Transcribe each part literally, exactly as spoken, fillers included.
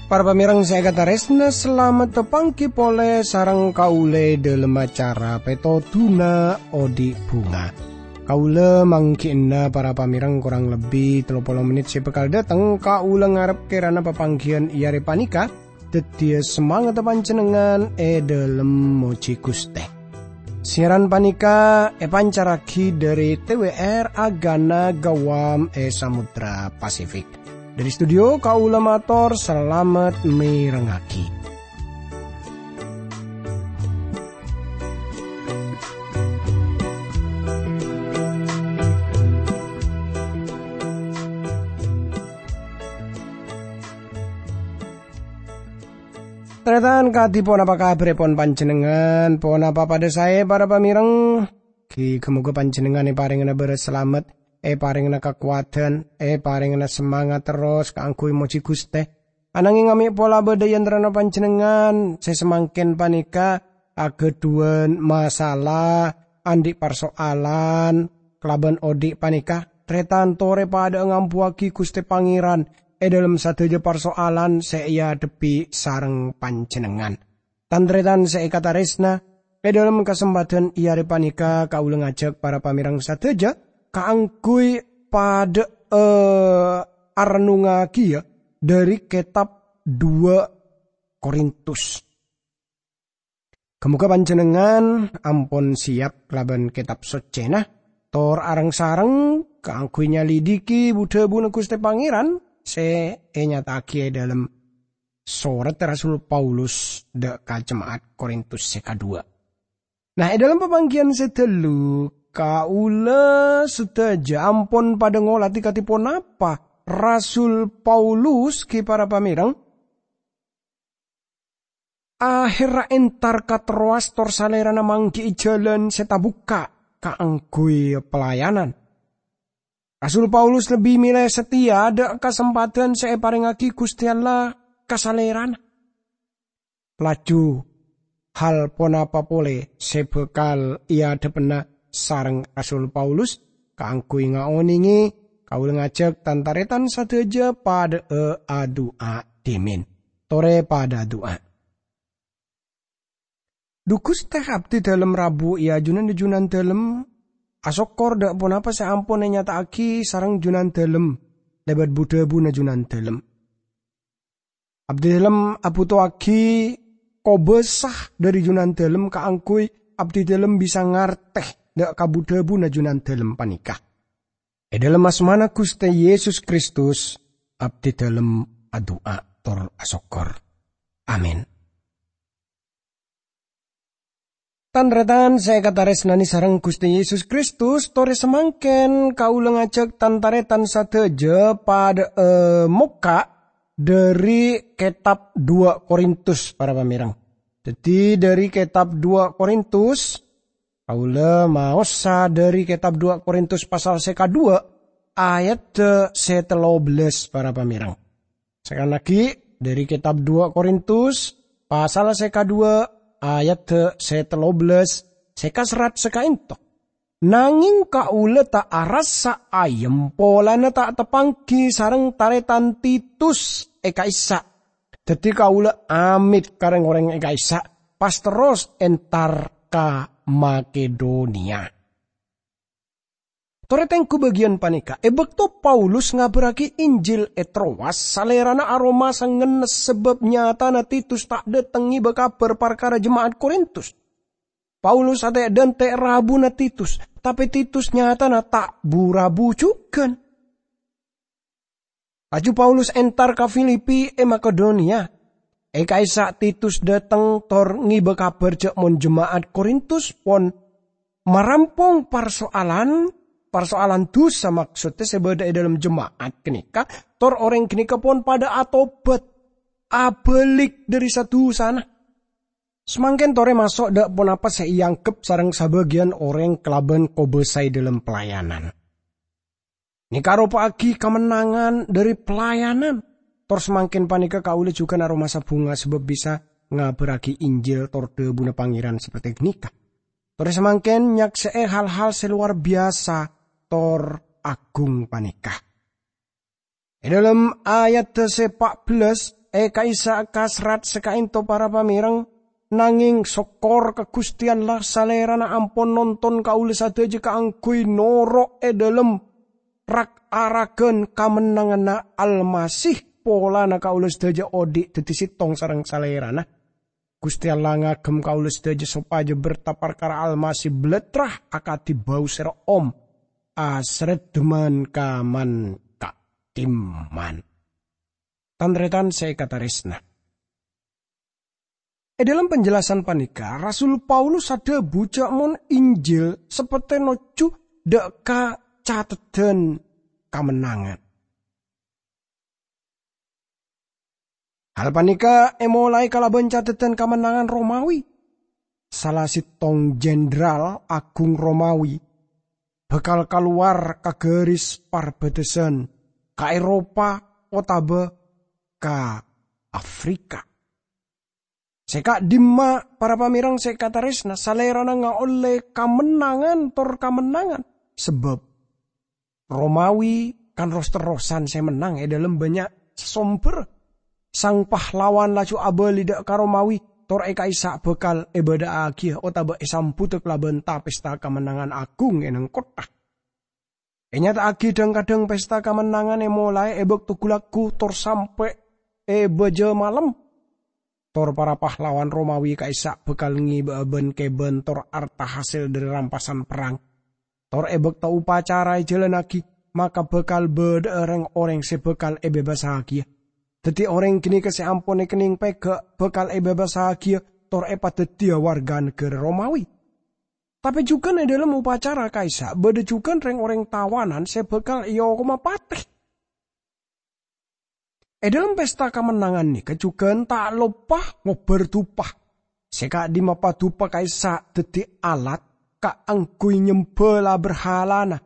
Para pamèrèng sè èkatarèsna, salamet tapangghi polè sareng kaulâ è dhâlem acara Pètodhuna Odi' Bhunga. Kaulâ mangghi'na para pamèrèng korang lebbi tello polo mennit sè bhâkal dâteng. Kaulâ ngarep kèrana papangghiyân è arè panèka dhâddhiyâ samangatta panjhennengngan è dhâlem mojhi Ghustè. Siaran panèka èpancarraghi dhâri T W R Agana Gawam è Samudra Pasifik. Dhâri studio kaulâ mator salamet mèrengngaghi. Tarètan, kadhi ponapa kabhârèpon panjhennengngan? Ponapa padhâ saè, para pamèrèng? Ghi-, ghâ-moghâ panjhennengngan èparèngana bârâs salamet, èparèngana kakowadhân, èparèngana samangat terros kaangghuy mojhi Ghustè. Anangèng amè' pola bâdâ è antarana panjhennengngan sè samangkèn panèka aghâdhuwân masalah, andi' parsoalan kalabân odi' panèka, tarètan torè padhâ'â ngambuwâghi Ghustè Pangèran è dhâlem sadhâjâ parsoalan sè èadhebbhi sareng panjhennengngan. Tan-tarètan sè èkatarèsna, è dhâlem kasempadhân è arè panèka kaulâ ngajhâk para pamèrèng sadhâjâ kaangghuy padhâ'â arennungngaghiyâ dhâri kètab Duwâ' Korintus. Ghâ-moghâ panjhennengngan ampon sèyap kalabân Kètab Soccèna, tor areng-sareng kaangghuy nyalidiki bu-dhâbuna Ghustè Pangèran sè ènyata'aghi è dhâlem sorat Rasul Paulus dâ' ka jema'at Korintus sè kaduwâ'. Nah, è dhâlem papangghiyân sè dâllu, kaulâ sadhâjâ ampon padhâ ngoladi kadhi ponapa Rasul Paulus, ghi para pamèrèng, ahèrra entar ka Troas tor salèrana mangghi'i jhâlân sè tabukka' kaangghuy pelayanan. Rasul Paulus lebbi mèlè satèya dâ' kasempadhân sè èparèngngaghi Ghustè Allah ka salèrana. Laju, hal ponapa polè sè bhâkal èadhebbhâna sareng Rasul Paulus? Kaangghuy ngaonèngè, kaulâ ngajhâk tan-tarètan sadhâjâ padhâ'â adu'a dhimèn. Torè padhâ adu'a. Dhu Ghustè, abdhidhâlem rabu è ajunanna Junandhâlem, asokkor dâ' ponapa sè ampon ènyata'aghi sareng Junandhâlem lèbât bu-dhâbuna Junandhâlem. Abdhidhâlem abhuto'aghi kobâsa dhâri Junandhâlem kaangghuy abdhidhâlem bisa ngartè dâ' ka bu-dhâbuna Junandhâlem panèka. È dhâlem asmana Ghustè Yesus Kristus, abdhidhâlem adu'a tor asokkor. Amin. Tan-tarètan sè èkatarèsnanè sareng Ghustè Yesus Kristus, torè samangkèn kaulâ ngajhâk tan-tarètan sadhâjâ padhâ'â mokka' dhâri kètab Duwâ' Korintus, para pamèrèng. Dhâddhi, dhâri kètab Duwâ' Korintus, kaulâ maosa dhâri kètab Duwâ' Korintus pasal sè kaduwâ', ayadda sè tello bellâs, para pamèrèng. Sakalè aghi', dhâri kètab Duwâ' Korintus, pasal sè kaduwâ', ayadda sè tello bellâs, sè kaserrat saka'ènto. Nangèng kaulâ ta' arassa ayem polana ta' tapangghi sareng tarètan Titus è ka'issa'. Dhâddhi kaulâ amèt ka rèng-orèng è ka'issa', pas terros entar ka Makedoniya. Torè tengghu bâgiyân panèka, è bâkto Paulus ngabârraghi Injil è Troas, salèrana aromasa ngennes sabâb nyatana Titus ta' dâteng ngèbâ kabhâr parkara jema'at Korintus. Paulus atè'-dântè' rabuna Titus, tapè Titus nyatana ta' bu-rabu jhughân. Laju Paulus entar ka Filipi è Makedoniya. È ka'issa' Titus dâteng tor ngèbâ kabhâr jhâ' mon jema'at Korintus pon marampong parsoalan, parsoalan dhusa, maksoddhâ sè bâdâ è dhâlem jema'at ghânèka, tor orèng ghânèka pon padâ atobhât, abâlik dhâri sa-dhusana. Samangkèn torè maso' dâ' ponapa sè èangghep sareng sabâgiyân orèng kalabân kobâsa è dhâlem pelayanan. Nèka aropa'aghi kamennangan dhâri pelayanan. Tor samangkèn panèka kaulâ jhughân aromasa bhunga sabâb bisa ngabarragi Injil tor dhâbuna Pangèran saperte ghânèka. Torè samangkèn nyaksè'è hal-hal sè lowar biyasa tor aghung panèka. È dhâlem ayadda sè pa' bellâs, è ka'issa' kasrat sè ka'ènto para pamèrèng, nangèng sokkor ka Ghustè Allah, Salèrana ampon nonton kaulâ sadhâjâ kaangghuy noro' è dhâlem rak-araghân kamennanganna Almasih, polana kaulâ sadhâjâ odi' dhâddhi sèttong sareng Salèrana. Ghustè Allah ngagem kaulâ sadhâjâ sopajâ berta parkara Almasih blattra akadhi bâu sè ro'om, asreddhâman ka man-ka'dimman. Tan-tarètan sè èkatarèsna. È dhâlem panjelasan panèka, Rasul Paulus adhâbu jhâ' mon Injil saperte nojjhu dhâ' ka cateddhân kamennangan. Hal panèka èmolaè kalabân cateddhân kamennangan Romawi. Sala sèttong jenderal aghung Romawi bhâkal kalowar ka ghâris parbâdâsân ka Eropa otabâ ka Afrika. Sè ka'dimma, para pamèrèng sè èkatarèsna, Salèrana ngaollè kamennangan tor kamennangan, sabâb Romawi kan ros-terrosan sè mennang è dhâlem bânnya' somber. Sang pahlawan laju abâli dhâ' ka Romawi, tor è ka'issa' bhâkal èbâdhâ'âghiyâ otabâ èsambuddhâ kalabân ta-pesta kamennangan aghung è neng kottha. Ènyata'aghi dhâng-kadhâng pesta kamennangan èmolaè è bâkto ghu-lagghu tor sampè' è bâjâ malem. Tor para pahlawan Romawi ka'issa' bhâkal ngèbâ'â bân-kèbân tor arta hasèl dhâri rampasan perrang. Tor è bâkto upacara èjhâlânnaghi, maka bhâkal bâdhâ'â rèng-orèng sè bhâkal èbebassaghiyâ. Dhâddhi orèng ghânèka sè ampon èkennèng pèghâ' bhâkal èbebassaghiyâ tor èpadhâddhiyâ warga naghârâ Romawi. Tapè jhughân è dhâlem upacara ka'issa' bâdâ jhughân rèng-orèng tawanan sè bhâkal èokoma patè. È dhâlem pesta kamennangan nèka jhughân ta' loppa ngobbhâr dupa. Sè ka'dimma padupa ka'issa' dhâddhi alat kaangghuy nyembhâ la-berhalana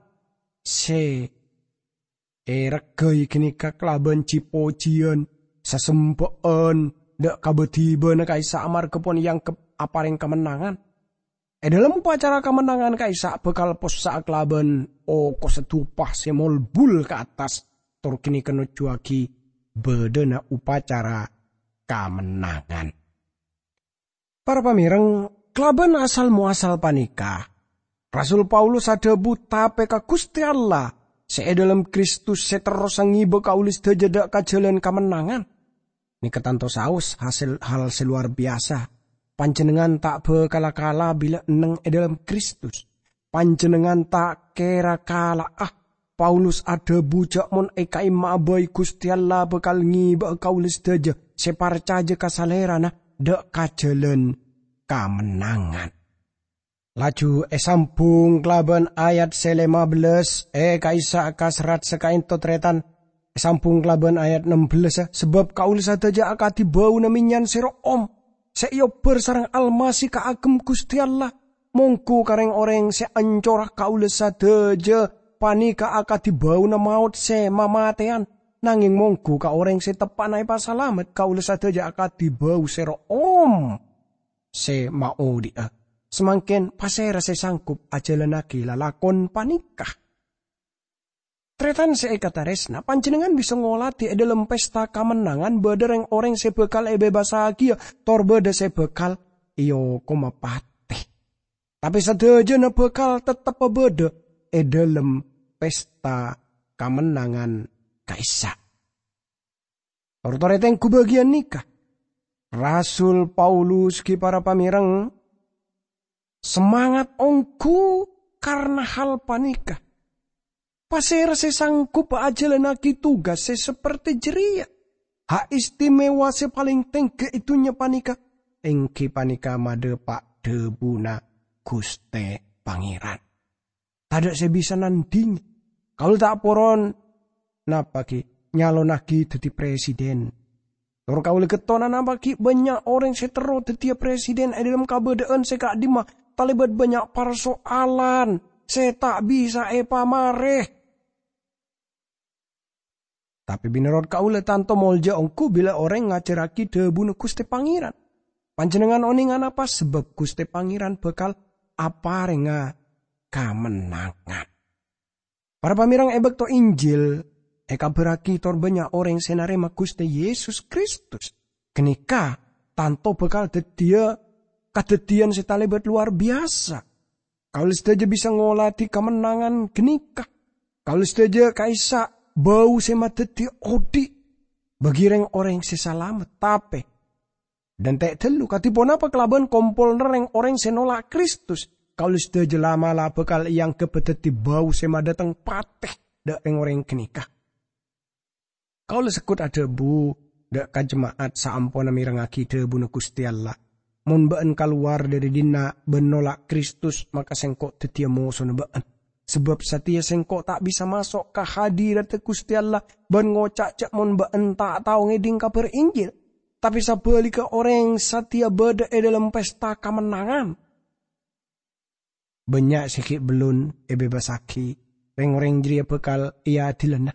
sè èregghâi ghânèka kalabân ji-pojiyân, sasembhâ'ân dhâ' ka bâdhibâna ka'issa' amarghâ pon èangghep aparèng kamennangan. È dhâlem upacara kamennangan ka'issa' bhâkal possa'a kalabân okossa dupa sè molbul ka attas, tor ghânèka nojjhuwâghi bâdâna upacara kamennangan. Para pamèrèng, kalabân asal-moasal panèka, Rasul Paulus adhâbu tapè ka Ghustè Allah sè è dhâlem Kristus sè terrosa ngèbâ kaulâ sadhâjâ dhâ' ka jhâlân kamennangan. Nèka tanto saos hasèl hal sè lowar biyasa. Panjhennengngan ta' bhâkala kala bilâ enneng è dhâlem Kristus. Panjhennengngan ta' kèra kala'a. Paulus adhâbu jhâ' mon èkaèma'a bhâi Ghustè Allah bhâkal ngèbâ'â kaulâ sadhâjâ sè parcajâ ka Salèrana dhâ' ka jhâlân kamennangan. Laju èsambhung kalabân ayat sè lèma bellâs, è ka'issa' ka serrat sè ka'ènto tarètan. Èsambhung kalabân ayat nem bellâs, sabâb kaulâ sadhâjâ akadhi bâuna mennyan sè ro'om, sè èobbhâr sareng Almasih kaagem Ghustè Allah. Mongghu ka rèng-orèng sè ancora kaulâ sadhâjâ panèka akadhi bâuna maot sè mamatèyan, nangèng mongghu ka orèng sè teppa'na èpasalamet kaulâ sadhâjâ akadhi bâu sè ro'om sè maodi'â. Samangkèn pasèra sè sanggup ajhâlânnaghi lalakon panèka? Tarètan sè èkatarèsna, panjhennengngan bisa ngolatè è dhâlem pesta kamennangan bâdâ rèng-orèng sè bhâkal èbebassaghiyâ, tor bâdâ sè bhâkal èokoma patè. Tapè sadhâjâna bhâkal tetteppa bâdâ è dhâlem pesta kamennangan ka'issa'. Tor-torè tengghu bâgiyân nèka. Rasul Paulus ghi para pamèrèng, semangat ongghu karna hal panèka. Pasèra sè sanggup ajhâlânnaghi tugas sè saperte jârèya? Hak istimewa sè palèng tèngghi è dhunnya panèka, èngghi panèka madhâpa' dhâbuna Ghustè Pangèran. Tadâ' sè bisa nandhingè. Kaulâ ta' poron napa ghi' nyalonnaghi dhâddhi presiden. Tor kaulâ ghi' tonanama ghi' bânnya' orèng sè terro dhâddhiyâ presiden è dhâlem kabâdâ'ân sè ka'dimma talèbât bânnya' parsoalan sè ta' bisa èpamarè. Tapè mènorot kaulâ tanto molja ongghu bilâ orèng ngajhârraghi dhâbuna Ghustè Pangèran. Panjhennengngan onèng anapa? Sabâb Ghustè Pangèran bhâkal aparènga kamennangan. Para pamèreng, è bâkto Injil èkabhârraghi tor bânnya' orèng sè narèma Ghustè Yesus Kristus, ghânèka tanto bhâkal dhâddhiyâ kadhâddhiyân sè talèbât lowar biyasa. Kaulâ sadhâjâ bisa ngolatè kamennangan ghânèka. Kaulâ sadhâjâ ka'issa' bâu sè madhâddhi odi' bagi rèng-orèng sè salamet. Tapè, dântè' ghâllu, kadhi ponapa kalabân kompolanna rèng-orèng sè nolak Kristus? Kaulâ sadhâjâ la'-mala' bhâkal èangghep dhâddhi bâu sè madhâteng patè dâ' rèng-orèng ghânèka. Kaulâ sengko' adhâbu dâ' ka jema'at saamponna mèrengngaghi dhâbuna Ghustè Allah, "Mon bâ'ân kalowar dâri dinna' bân nolak Kristus, maka sengko' dhâddhiyâ mosona bâ'ân. Sabâb satèya sengko' ta' bisa maso' ka hadiratta Ghustè Allah bân ngoca' jâ' mon bâ'ân ta' tao ngèdhing Kabhâr Injil. Tapè sabhâligghâ, orèng satèya bâdâ è dhâlem pesta kamennangan." Bânnya' sè ghi' bellun èbebasaghi, rèng-orèng jârèya bhâkal èadilana.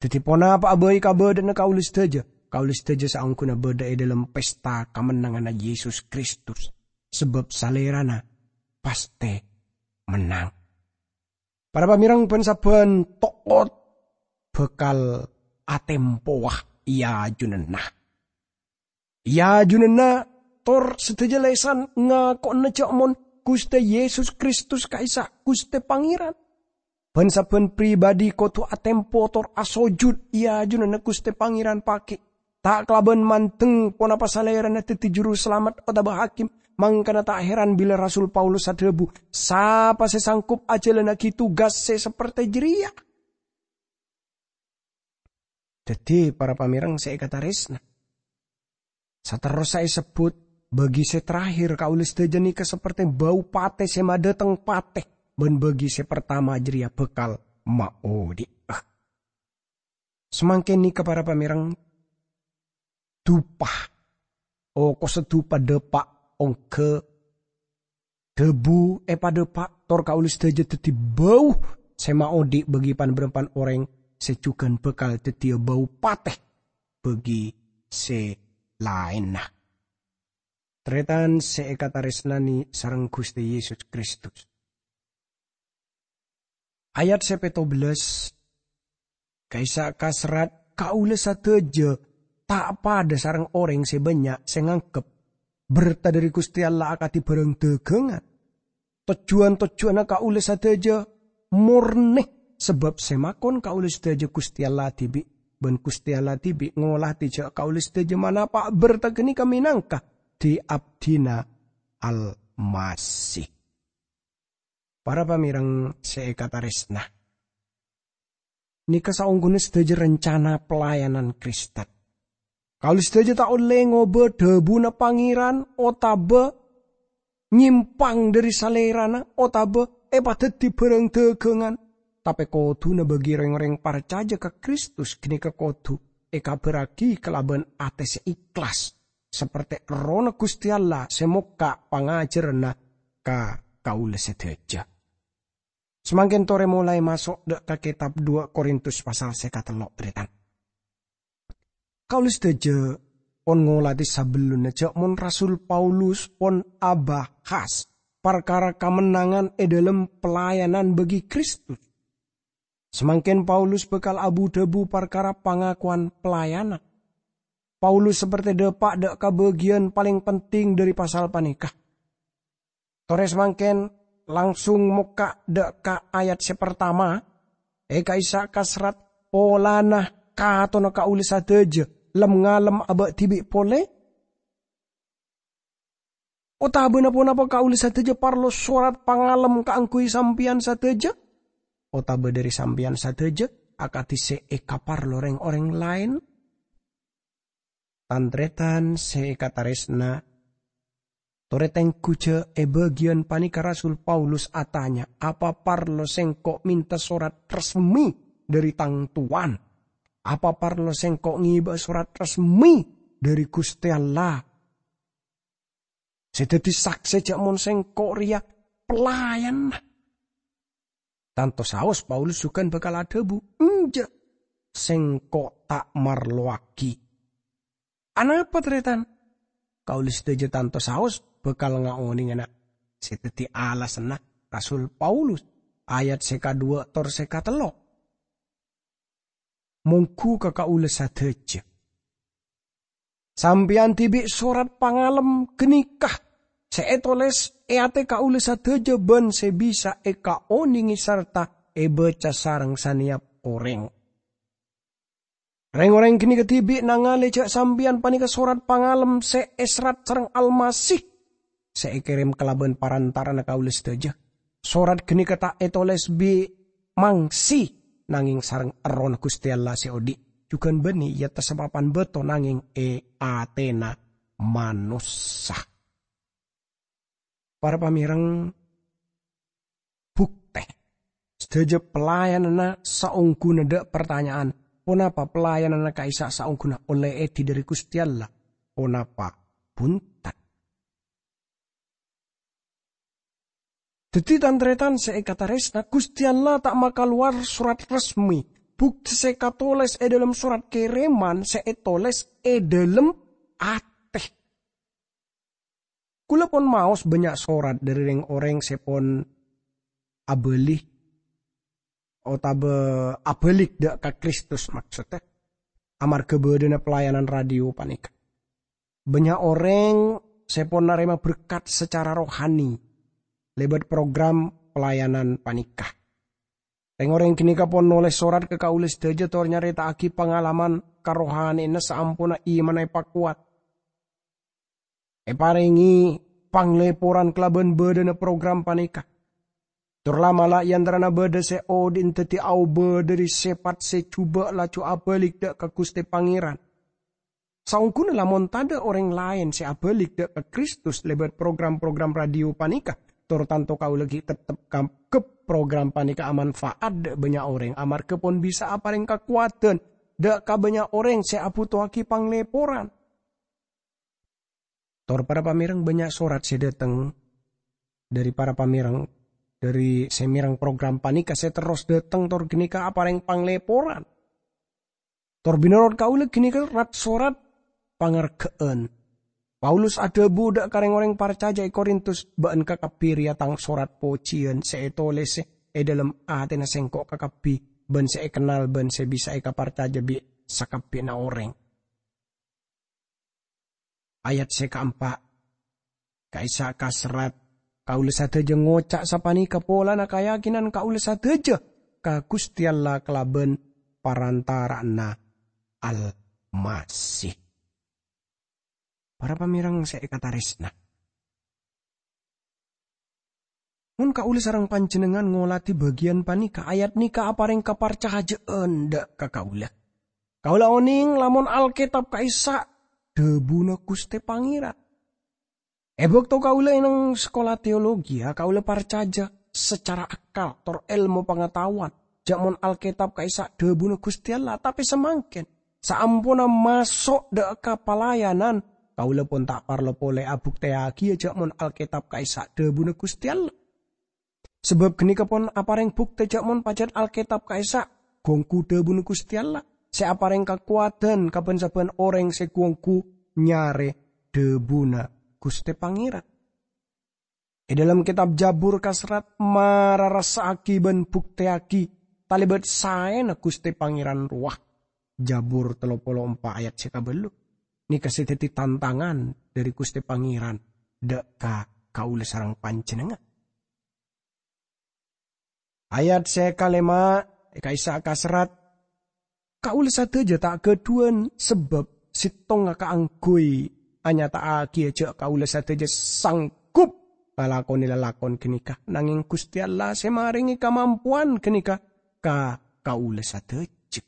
Dhâddhi, ponapa'a bhâi kabâdâ'ânna kaulâ sadhâjâ, kaulâ sadhâjâ saongghuna bâdâ è dhâlem pesta kamennanganna Yesus Kristus, sabâb Salèrana pastè mennang. Para pamèreng, bân-sabbhân to'ot bhâkal atempowa è ajunanna. È ajunanna tor sadhâjâ lèsan ngako'ana jâ' mon Ghustè Yesus Kristus ka'issa' Ghustè Pangèran. Bân-sabbhân pribadhi kodhu atempo tor asojud è ajunanna Ghustè Pangèran paghi', ta' kalabân mandeng ponapa Salèrana dhâddhi Jurusalamet otabâ Hakim. Mangkana ta' heran bilâ Rasul Paulus adhâbu, "Sapa sè sanggup ajhâlannaghi tugas sè sapertè jârèya?" Dhâddhi, para pamèreng sè èkatarèsna, saterrossa èsebbhut, bâgi sè terakhir kaulâ sadhâjâ nèka sapertè bâu patè sè madhâteng patè, bân bâgi sè partama jârèya bhâkal maodi'â. Samangkèn nèka, para pamèreng, dupa, okossa dupa dâpa' ongghâ dhâbu èpadâpa' tor kaulâ sadhâjâ dhâddhi bâu sè maodi' bâgi pan-bârâmpan orèng sè jhughân bhâkal dhâddhiyâ bâu patè bâgi sè laènna. Tarètan sè èkatarèsnanè sareng Ghustè Yesus Kristus. Ayat sè pètto bellâs, ka'issa' kaserrat, "Kaulâ sadhâjâ ta' padâ sareng orèng sè bânnya' sè nganggep bertah dâri Ghustè Allah akadhi bhârâng dhâghângan. Tojjhuwân-tojjhuwânna kaulâ sadhâjâ morne, sabâb sè makon kaulâ sadhâjâ Ghustè Allah dhibi', bân Ghustè Allah dhibi' ngolatè jâ' kaulâ sadhâjâ manapa' bertah ghânèka mènangka di-abdhina Almasih." Para pamèreng sè èkatarèsna, nèka saongghuna sadhâjâ rencana pelayanan Kristen. Kaulâ sadhâjâ ta' ollè ngobâ dhâbuna Pangèran otabâ nyèmpang dâri Salèrana otabâ èpadhâddhi bhârâng dhâghângan. Tapè kodhuna bâgi rèng-orèng parcajâ ka Kristus ghânèka kodhu èkabhârraghi kalabân atè sè ikhlas, sapertè Errohna Ghustè Allah sè mokka' pangajhârânna ka kaulâ sadhâjâ. Samangkèn torè molaè maso' dâ' ka kètab dua Korintus pasal sè katello', tarètan. Kaulâ sadhâjâ pon ngolatè sabellunna jâ' mon Rasul Paulus pon abahas parkara kamennangan è dhâlem pelayanan bâgi Kristus. Samangkèn Paulus bhâkal abu-dhâbu parkara pangakowan pelayanan. Paulus sapertè dâpa' dâ' ka bâgiyân palèng penting dâri pasal panèka. Torè samangkèn langsung mokka' dâ' ka ayat sè partama, è ka'issa' kaserrat, "Polana katonna kaulâ sadhâjâ lem-ngalem abâ' dhibi' polè? Otabâna ponapa kaulâ sadhâjâ parlo sorat pangalem kaangghuy sampèyan sadhâjâ? Otabâ dâri sampèyan sadhâjâ akadhi sè èkaparlo rèng-orèng laèn?" Tan-tarètan sè èkatarèsna, torè tengghu jâ' è bâgiyân panèka Rasul Paulus atanya, "Apa parlo sèngko' mènta sorat resmi dâri tang towan? Apa parlo sèngko' ngèbâ sorat resmi dâri Ghustè Allah sè dhâddhi saksè jâ' mon sèngko' rèya pelayanna?" Tanto saos Paulus jhughân bhâkal adhâbu, "Enjâ', sèngko' ta' marlowaghi." Anapa, tarètan? kaulâ sadhâjâ tanto saos bhâkal ngaonèngana sè dhâddhi alasanna Rasul Paulus, ayat sè kadhuwâ' tor sè katello'. Mongghu ka kaulâ sadhâjâ. Sampèyan dhibi' sorat pangalem ghânèka sè ètolès è atè kaulâ sadhâjâ bân sè bisa èkaonèngè sarta èbâca sareng sanèyap orèng. Rèng-orèng ghânèka dhibi' nangalè jhâ' sampèyan panèka sorat pangalem sè èserrat sareng Almasih sè èkèrèm kalabân parantara'anna kaulâ sadhâjâ. Sorat ghânèka ta' ètolès bi' mangsi, nangèng sareng Errohna Ghustè Allah sè odi', jhughân bânnè, iyâ, tessa papan bâto, nangèng è atèna manossa. Para pamèreng, bhuktè sadhâjâ pelayananna saongghuna dâ' partanya'an, ponapa pelayananna ka'issa' saongghuna ollè èdhi dhâri Ghustè Allah? Ponapa bhunten? Dhâddhi, tan-tarètan sè èkatarèsna, Ghustè Allah ta' makalowar sorat resmi, bhuktè sè katolès è dhâlem sorat kèrèman sè ètolès è dhâlem atè. Kaulâ pon maos bânnya' sorat dhâri rèng-orèng sè pon abâli otabâ abâlik dâ' ka Kristus, maksoddhâ, amarghâ bâdâna pelayanan radio panèka. Bânnya' orèng sè pon narèma berkat sacara rohani lèbât program pelayanan panèka. Rèng-orèng ghânèka pon nolès sorat ka kaulâ sadhâjâ tor nyarèta'aghi pangalaman karohanèyanna saamponna imanna èpakowat. Èparèngè panglèporan kalabân bâdâna program panèka. Tor la'-mala' è antarana bâdâ sè odi'na dhâddhi aobâ dhâri sèpat sè jhubâ' laju abâlik dâ' ka Ghustè Pangèran. Saongghuna lamon tadâ' orèng laèn sè abâlik dâ' ka Kristus lèbât program-program radio panèka, tor tanto kaulâ ghi' tettep kangghuy program panèka amanfa'at dâ' bânnya' orèng, amarghâ pon bisa aparèng kakowadhân dâ' ka bânnya' orèng sè abhutoaghi panglèporan. Tor para pamèreng, bânnya' sorat sè dâteng dhâri para pamèreng, dhâri sè mèreng program panèka sè terros dâteng tor ghânèka aparèng panglèporan. Tor bhinorot kaulâ ghânèka rat-sorat pangarghâ'ân. Paulus adhâbu dâ' ka rèng-orèng parcajâ è Korintus, "Bâ'ân kakabbhi rèya tang sorat pojiyân sè ètolèsè è dhâlem atèna sèngko' kakabbhi, bân sè èkennal bân sè bisa èkaparcajâ bi' sakabbhiyanna orèng." Ayat sè kaempa', ka'issa' kaserrat, kaulâ sadhâjâ ngoca' sapanèka polana kayakinan kaulâ sadhâjâ ka Ghustè Allah kalabân parantara'anna Almasih. Para pamèreng sè èkatarèsna, mon kaulâ sareng panjhennengngan ngolatè bâgiyân panèka, ayat nèka aparèng kaparcajâ'ân dâ' ka kaulâ. Kaulâ onèng lamon Alkètab ka'issa' dhâbuna Ghustè Pangèran. È bâkto kaulâ è neng sakola teologi, kaulâ parcajâ sacara akal tor èlmo pangataowan jhâ' mon Alkètab ka'issa' dhâbuna Ghustè Allah, tapè samangkèn, saamponna maso' dâ' ka palayanan, kaulâ pon ta' parlo polè abuktèyaghiyâ jhâ' mon Alkètab ka'issa' dhâbuna Ghustè Allah. Sabâb ghânèka pon aparèng buktè jhâ' mon pajhât Alkètab ka'issa' ghu-ongghu dhâbuna Ghustè Allah, sè aparèng kakowadhân ka bân-sabân orèng sè ghu-ongghu nyarè dhâbuna Ghustè Pangèran. È dhâlem kètab Jabur kaserrat mararassa'aghi bân buktèyaghi talèbât saèna Ghustè Pangèran rowa. Jabur tello polo empa' ayat sè kabâllu. Nèka sè dhâddhi tantangan dhâri Ghustè Pangèran dâ' ka kaulâ sareng panjhennengngan. Ayat sè kalèma' ka'issa' kaserrat, "Kaulâ sadhâjâ ta' ghâdhuwân sabâb sèttonga kaangghuy anyata'aghiyâ jhâ' kaulâ sadhâjâ sanggup ngalakonè lalakon ghânèka, nangèng Ghustè Allah sè marèngè kamampowan ghânèka ka kaulâ sadhâjâ."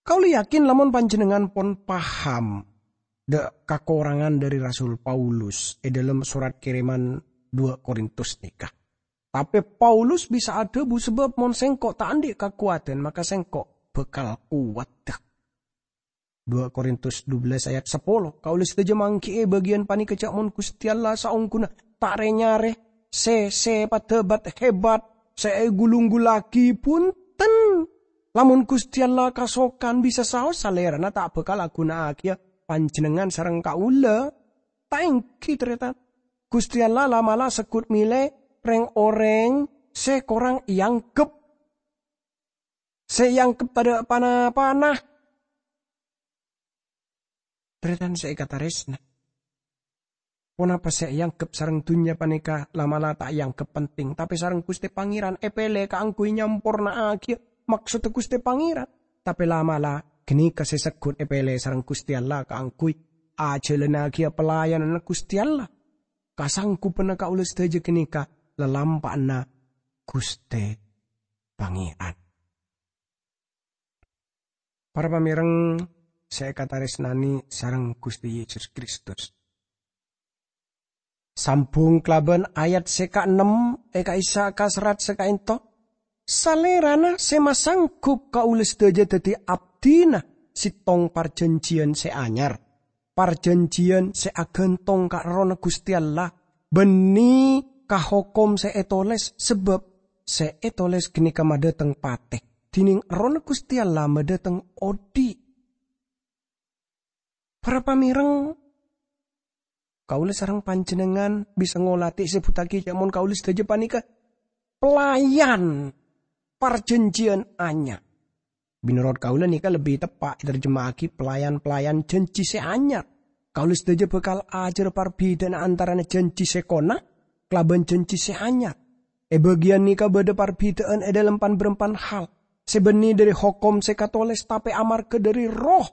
Kaulâ yakin lamon panjhennengngan pon paham dâ' kakorangan dhâri Rasul Paulus è dhâlem sorat kèrèman duwâ' Korintus nèka. Tapè Paulus bisa adhâbu, "Sabâb mon sèngko' ta' andi' kakowadhân, maka sèngko' bhâkal kowat." Duwâ' Korintus dubellâs ayat sapolo, "Kaulâ sadhâjâ mangghi'i bâgiyân panèka jhâ' mon Ghustè Allah saongghuna ta' rè-nyarè sè, sè padâ bât-hebat, sè ègulunggullaghi, bhunten." Lamon Gusti Allah kasokan, bisa saos Salèrana ta' bhâkal aghunaaghi panjhennengngan sareng kaulâ. Ta' ènggi, tarètan. Gusti Allah la'-mala' segghut mèlè rèng-orèng sè korang èangghep, sè èangghep tadâ' pa-napana. Tarètan sè èkatarèsna, ponapa sè èangghep sareng dhunnya panèka la'-mala' ta' èangghep penting, tapè sareng Ghustè Pangèran èpèlè kaangghuy nyamporna'aghi maksodda Ghustè Pangèran. Tapè la'-mala' ghânèka sè segghut èpèlè sareng Ghustè Allah kaangghuy ajhâlânnaghi pelayananna Ghustè Allah. Kasangghubbhânna kaulâ sadhâjâ ghânèka lalampa'anna Ghustè Pangèran. Para pamèreng sè èkatarèsnanè sareng Ghustè Yesus Kristus. Sambhung kalabân ayat sè kaennem è ka'issa' kaserrat sè kaènto, Salèrana sè masangghub kaulâ sadhâjâ dhâddhi abdhina sèttong parjhânjhiyân sè anyar, parjhânjhiyân sè aghântong ka Errohna Ghustè Allah, bânnè ka hokom sè ètolès, sabâb sè ètolès ghânèka madhâteng patè, dhinèng Errohna Ghustè Allah madhâteng odi'. Para pamèreng, kaulâ sareng panjhennengngan bisa ngolatè sè èsebbhuttaghi jâ' mon kaulâ sadhâjâ panèka pelayan parjhânjhiyân anyar. Mènorot kaulâ nèka lebbi teppa' ètarjema'aghi pelayan-pelayan jhânjhi sè anyar. Kaulâ sadhâjâ bhâkal ajhâr parbidhâ'ânna antarana jhânjhi sè kona kalabân jhânjhi sè anyar. È bâgiyân nèka bâdâ parbidhâ'ân è dhâlem pan-bârâmpan hal, sè bânnè dhâri hokom sè katolès tapè amarghâ dhâri Erroh.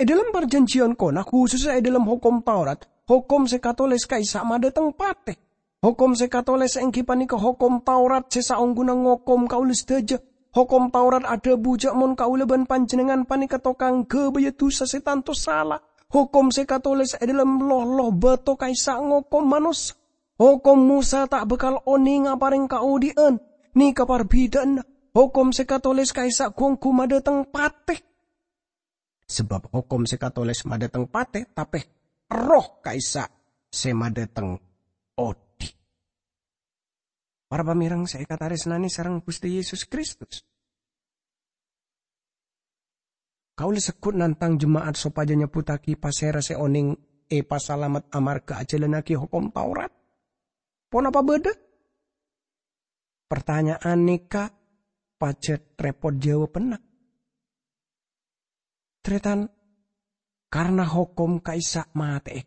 È dhâlem parjhânjhiyân kona, khusussa è dhâlem hokom Taurat, hokom sè katolès ka'issa' madhâteng patè. Hokom sè katolès ènggi panèka hokom Taurat sè saongghuna ngokom kaulâ sadhâjâ. Hokom Taurat adhâbu jâ' mon kaulâ bân panjhennengngan panèka tokang ghâbâyâ dhusa sè tanto sala. Hokom sè katolès è dhâlem loh-loh bâto ka'issa' ngokom manossa. Hokom Mosa ta' bhâkal onèng aparèng kaodi'ân. Nèka parbidhâ'ânna. Hokom sè katolès ka'issa' ghu-ongghu madhâteng patè. Sabâb hokom sè katolès madhâteng patè, tapè Erroh ka'issa' sè madhâteng odi'. Para pamèreng sè èkatarèsnanè sareng Ghustè Yesus Kristus, kaulâ segghut nantang jema'at sopajâ nyebbhuttaghi pasèra sè onèng èpasalamet amarghâ ajhâlânnaghi hokom Taurat. Ponapa bâdâ? Partanya'an nèka pajhât rèpot jâwâbbhânna. Tarètan, karna hokom ka'issa' matè'è.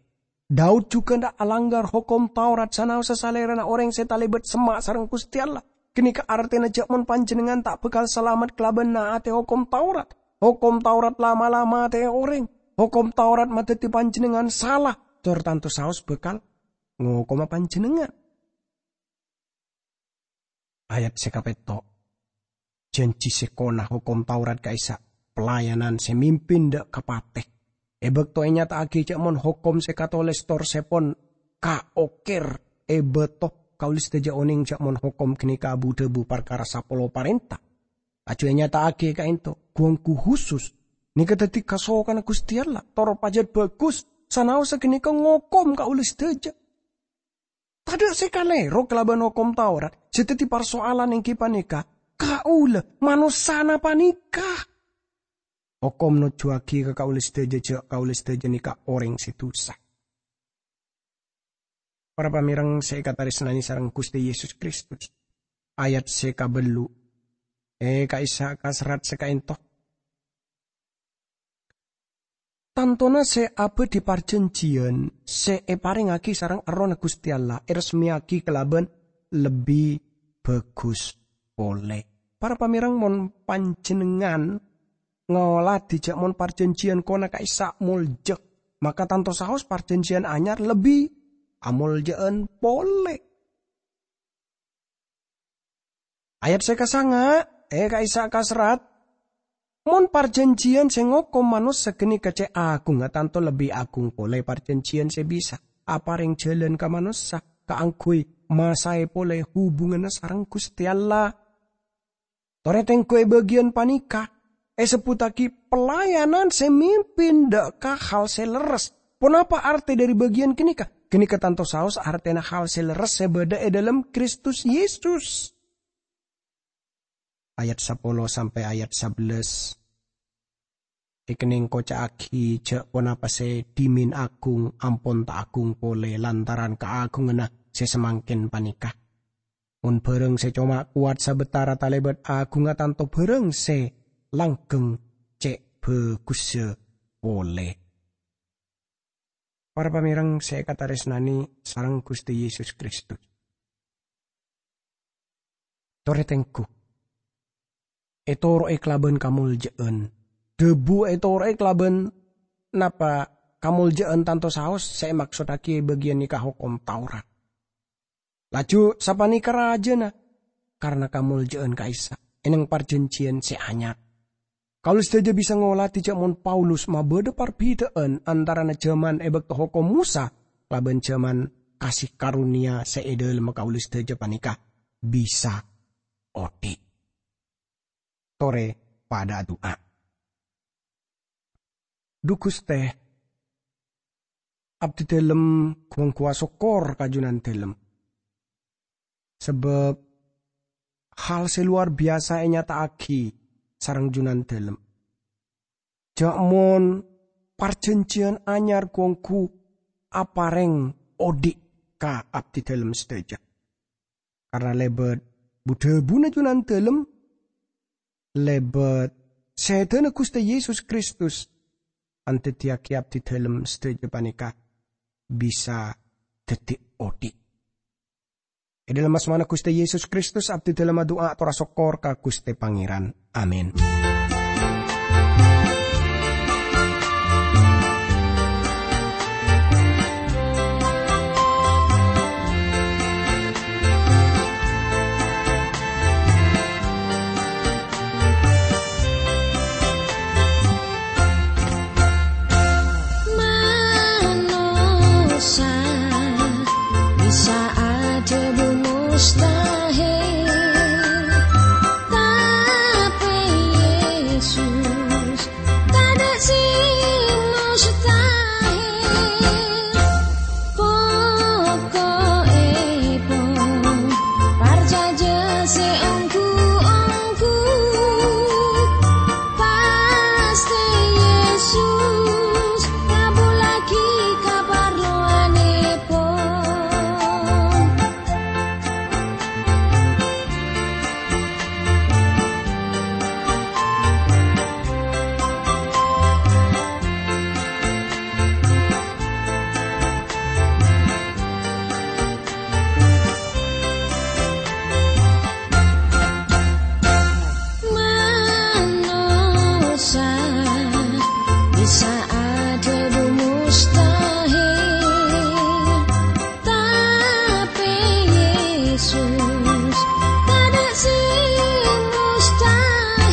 Daud jhughân ta' alanggar hokom Taurat sanaossa salèrana orèng sè talèbât semma' sareng Ghustè Allah. Ghânèka artèna jâ' mon panjhennengngan ta' bhâkal salamet kalabân na'atè hokom Taurat. Hokom Taurat la'-mala' matè'è orèng. Hokom Taurat madhâddhi panjhennengngan sala, tor tanto saos bhâkal ngokoma panjhennengngan. Ayat sè kapètto'. Jhânjhi sè kona hokom Taurat ka'issa' pelayanan sè mimpin dâ' ka patè. È bâkto ènyata'aghi jâ' mon hokom sè katolès tor sèpon kaokèr è bâto, kaulâ sadhâjâ onèng jâ' mon hokom ghânèka bu-dhâbu parkara sapolo parènta. Laju ènyata'aghi kaènto, ghu-ongghu husus, nèka dhâddhi kasokanna Ghustè Allah, tor pajhât bhâghus, sanaossa ghânèka ngokom kaulâ sadhâjâ. Tadâ' sè kalèro kalabân hokom Taurat. Sè dhâddhi parsoalan ènggi panèka, kaulâ, manossana panèka. Hokom nojjhuwâghi ka kaulâ sadhâjâ jâ' kaulâ sadhâjâ nèka orèng sè dhusa. Para pamèreng sè èkatarèsnanè sareng Ghustè Yesus Kristus, ayat sè kabâllu' è ka'issa' kaserrat sè kaènto. Tantona sè abâdhi parjhânjhiyân sè èparèngaghi sareng Errohna Ghustè Allah èresmèyaghi kalabân lebbi bhâghus polè. Para pamèreng, mon panjhennengngan ngolatè jâ' mon parjhânjhiyân kona ka'issa' molja, maka tanto saos parjhânjhiyân anyar lebbi amolja'an polè. Ayat sè kasanga', è ka'issa' kaserrat, "Mon parjhânjhiyân sè ngokom manossa ghânèka cè' aghungnga, tanto lebbi aghung polè parjhânjhiyân sè bisa aparèng jhâlân ka manossa kaangghuy masaè polè hubunganna sareng Ghustè Allah." Torè tengghu è bâgiyân panèka èsebbhuttaghi pelayanan sè mimpin dâ' ka hal sè lerres. Ponapa artè dhâri bâgiyân ghânèka? Ghânèka tanto saos artèna hal sè lerres sè bâdâ è dhâlem Kristus Yesus. ayat sapolo sampè' ayat sabellâs. Èkennèng koca'aghi jhâ' ponapa sè dhimèn agung ampon ta' agung polè lantaran kaagunganna sè samangkèn panèka. Mon bhârâng sè coma kowat sabâtara talèbât agungnga, tanto bhârâng sè langghâng cè' bhâghussa polè. Para pamèrèng sè èkatarèsnanè sareng Ghustè Yesus Kristus. Torè tengghu. Ètoro'è kalabân kamoljâ'ân. Dhâbu ètoro'è kalabân napa kamoljâ'ân tanto saos sè èmaksoddhâghi è bâgiyân nèka Hokom Taurat. Laju sapanèka rajâna, karna kamoljâ'ân ka'issa' è neng parjhânjhiyân sè anyar. Kaulâ sadhâjâ bisa ngolatè jhâ' mon Paulus mabâdâ parbhidhâ'ân antarana jhâman è bâkto Hokom Mosa kalabân jhâman kasih karunia sè è dhâlemma kaulâ sadhâjâ panèka bisa odhi'. Torè padhâ adu'a. Dhu Ghustè, abdhidhâlem gu-onggu asokkor ka Junandhâlem. Sabâb hal sè lowar biyasa ènyata'aghi sareng Junandhâlem. Jhâ' mon parjhânjhiyân anyar gu-onggu aparèng odhi' ka abdhidhâlem sadhâjâ. Karna lèbât bu-dhâbuna Junandhâlem, lèbât sèdhâna Ghustè Yesus Kristus, andhâddhiyâghi abdhidhâlem sadhâjâ panèka bisa dhâddhi odhi'. È dhâlem asmana Ghustè Yesus Kristus, abdhidhâlem adu'a ator asokkor ka Ghustè Pangèran. Amin. Manossa bisa adhâbu mustahil, tapè Yesus tadâ' sè mustahil. Poko'èpon, parcajâ sè ongghu-ongghu, pastè Yesus ngabhullaghi kaparlowanèpon. Manossa bisa adhâbu mustahil, tapè Yesus tadâ' sè mustahil.